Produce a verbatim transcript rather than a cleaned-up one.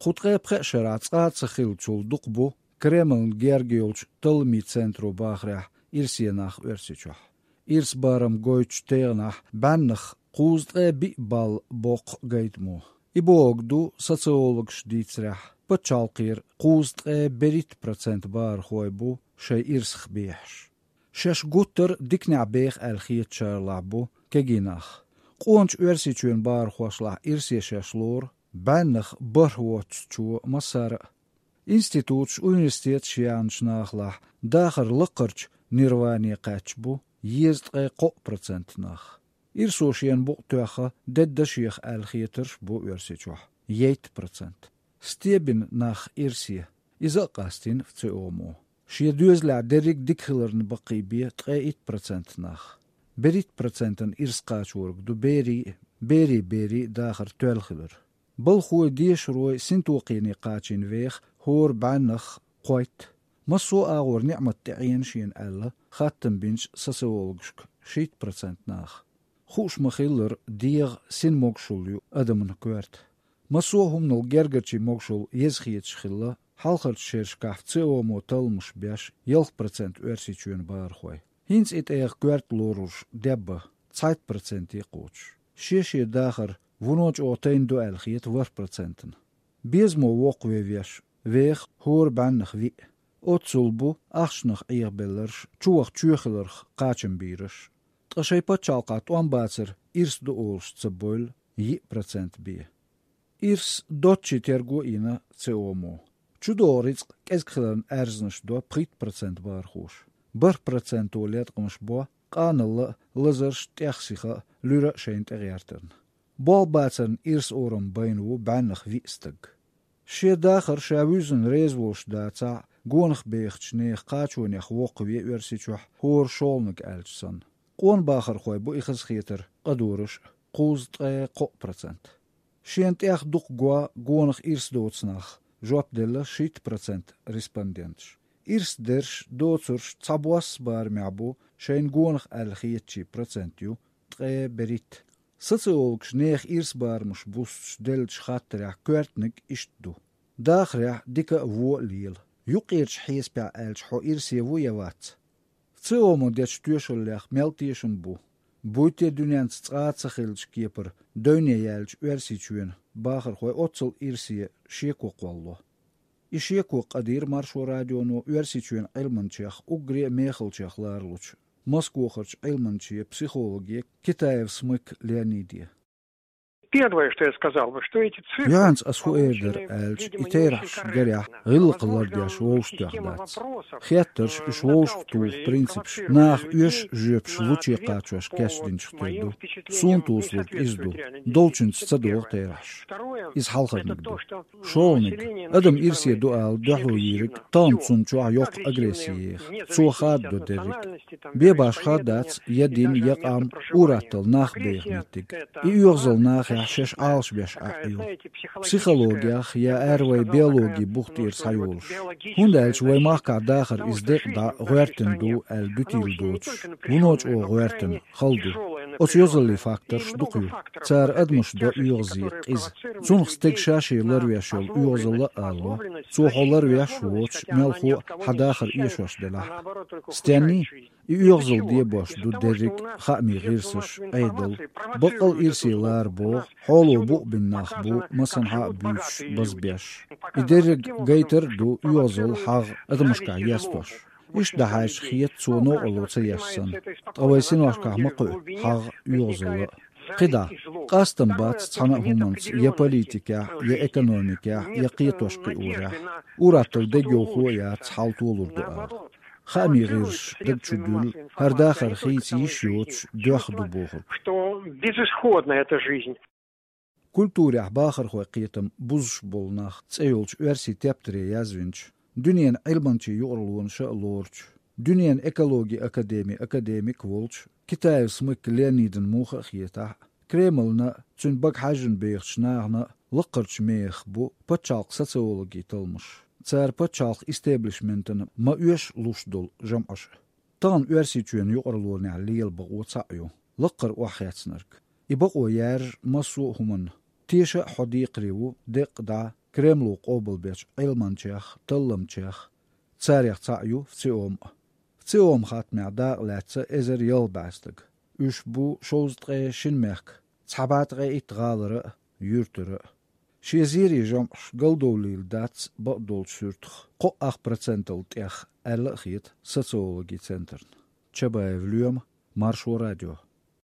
Кху ткъе пхеа шарахь цкъа а ца хиллачул дукха бу Кремлна герга йолчу талламийн центро бахарехь ирсе нах Оьрсийчохь. Ирс барам гойтучу тегӀанахь бӀеннах кхузткъе биъ балл боккха гайтамо. И бохург ду, социологаша дийцарехь, пачхьалкхера кхузткъе берхӀитта процент бахархой бу шайн ирсах бехаш. Шаьш гуттар а диканехь беха аьлла хетачарлахь бу кегий нах. Къоначу Оьрсийчоьнан бахархошлахь ирсе шаьш лору бӀеннах бархӀ воцучо массара а. Институташ, университеташ яьхначу нахалахь дахаран лакхарчу нирване кхаьчна бу езткъе кхоъ процент нах. Ирсо шена букъ тоьхна дедда шех аьлла хетарш а бу Оьрсийчохь, ейтта процент. Стебина нах ирсе, иза а къастийна ВЦИОМ-о. Шен доьзалехь дерриг а дика хиларна баккхийбе ткъе итт процент нах. БерхӀитта процентана ирс кхачориг ду берийн а, берийн берийн а дахар тоьлла хилар. Балхой, дешарой синтокхене кхачийна веха хӀора бӀеннах кхойтта. Массо а агӀор ниӀмат тӀеӀена шена аьлла, хаттам бинчу социологашка шийтта процент наха. Хууш ма-хиллара, дегӀан син могушалла ю адаман коьрта. Массо а хӀуманал гергарчийн могушалла еза хеташ хилла, хьалхарчу шерашкахь ВЦИОМ-о талламаш беш, ялх процент Оьрсийчоьнан бахархой. ХӀинца и тӀегӀа коьрта лоруш дебба, цхьайтта проценте кхочуш. Шен-шен дахар вуно чӀогӀа тайна ду аьлла хета ворхӀ процентана. Безамо воккхаве веш, веха хӀора бӀеннах виъ. Оццул бу ахчанах Ӏехабелларш, чуваха чоь хиларх кхачам бийраш. Ткъа шайн пачхьалкхахь тӀом бацар ирс ду олуш ца бевлла, йиъ процент бен. Ирс доцчийн терго а йина ВЦИОМ-о. ЧудогӀу рицкъ кӀезиг хиларна аьрзнаш до пхийтта процент бахархоша. БархӀ проценто леткъамаш бо къаналла а, лазарш а, тӀех сиха а, луьра а шайна тӀегӀертарна. Болх бацарна ирс орам байна ву бӀеннах виъ стаг. Шен дахар ша вуьззина реза волуш дацахь а, гонах бехачу нехан кхачонех воккхаве Оьрсийчохь хӀора шолгӀаниг аьлча санна. Къона бахархой бу и хазахетар къадораш а, кхузткъе кхоъ процент. Шена тӀех дукха го гонах ирс доцу нах, жоп делла шийтта процент респонденташа. Ирс дерш, доцурш цхьабосса барамехь бу шайна гонах аьлла хетачийн процент ю ткъе берхӀитта. Социологаша нехан ирс барамаш бустуш деллачу хаттарехь коьртаниг иштта ду: дахарехь дика а, вон а лела. Юккъерчу хьесапехь аьлча, хьо ирсе ву я вац? ВЦИОМ-о дечу тоьшаллех мел тешам бу? Буй те дуьненца цкъа а ца хиллачу кепара девне яьллачу Оьрсийчоьнан бахархой оццул ирсе шеко кхоллало? И шеко къадийра Маршо радионо Оьрсийчоьнан Ӏилманчех, уггаре а мехалчех ларалучу Москвахарчу Ӏилманче, психологе Китаев Смык Леониде. Первое, что я сказал бы, что эти цифры... Юьхьанца ас хӀун эр дара аьлча, и терахьаш гарехь гӀиллакх лардеш вовшахтоьхна дац. Хеттарш, уьш вовшахтуху принципаш наха оьшуш жоьпаш луче кхачош кечдинчух тера ду. Суна тосалург иза ду: долчуьнца ца догӀу терахьаш. Иза хьалхарниг ду. ШолгӀаниг: адам ирсе ду ала дуьхьало йийриг тахана цунна чохь йоккха агресси еха, цо хададо дерриг. Бен башха дац я дин, я къам, ур-атталла нах беха меттиг. И оьгӀазалла нахехь шаьш Ӏалашбеш Ӏаьхьо. Психологех я аьрру вай биологин бух тӀера схьайолуш. ХӀунда аьлча вай махкахь дахар иза декъа дӀа гӀоьртина ду аьлла дуьтийла доцуш, вуно чӀогӀа гӀоьртина хала ду. Оцу йозаллин факторш дукха ю. Цара адамаш до оьгӀазе, къиза. Цунах стеган ша-шен ларвеш йолу оьгӀазалла а алало, цо хьо ларвеш а воцуш, мелхо а хьан дахар эшош делахь а. Стенний? И оьгӀазалла дебош ду дерриг а: хаамийн гӀирсаш, Ӏедал. Баккъал а ирсе лара боху, хьоло букъ бина нах бу, масанхьа а буьйцуш, базбеш. И дерриг гайтар а ду оьгӀазалла, хьагӀ адамашкахь естош. Иштта дӀахьаьжча, хета цо новкъарло ца еш санна. Ткъа вайн синошкахь ма кхуьу хьагӀ а, оьгӀазалла а. КхидӀа, къастам бац цхьана а хӀуманца я политикехь, я экономикехь, я кхетош-кхиорехь. Ур-атталла дегайовхо а яц, хьал толур ду ала. Хаамийн гӀирсаш даг чу дуьллу, хӀара дахар хийца йиш йоцуш, доьхна ду бохург. Что безысходна эта жизнь. Культурехь бахархойн кхетам бузуш болу нах цӀе йолчу оьрсийн тептаре язвинчу, дуьненан Ӏилманчийн юкъарлонаша а лоручу, дуьненан экологин академин академик а волчу Китаев Смык Леонидан муха а хетахь а, Кремльна а, цуьнан бага хьаьжжина бехачу нахана а лакхарчу мехах бу пачхьалкхан социологин талламаш. Цара пачхьалкхан истеблишментана ма-оьшшу луш долу жамӀаш а. Тахана Оьрсийчоьнан юкъарлонехь лела бакъо цхьаъ ю: лакхара охьахецнарг. И бакъо яьржа массо а хӀуманна. Теша а хьо декхаре ву деккъа дӀа, Кремло къобалбечу Ӏилманчех, талламчех, царех цхьаъ ю ВЦИОМ а. ВЦИОМ хаттамехь дакъалаьцна эзар ялх бӀе стаг. Уьш бу шовзткъе шина мехкан цхьа бӀе ткъе итт гӀалара а, юьртара а. Шен зерийн жамӀаш галдовлийла дац бакъдолчу суьртах кхоъ ах процентал тӀех, аьлла а хета социологин центрна. Чабаев Лоьма, Маршо радио.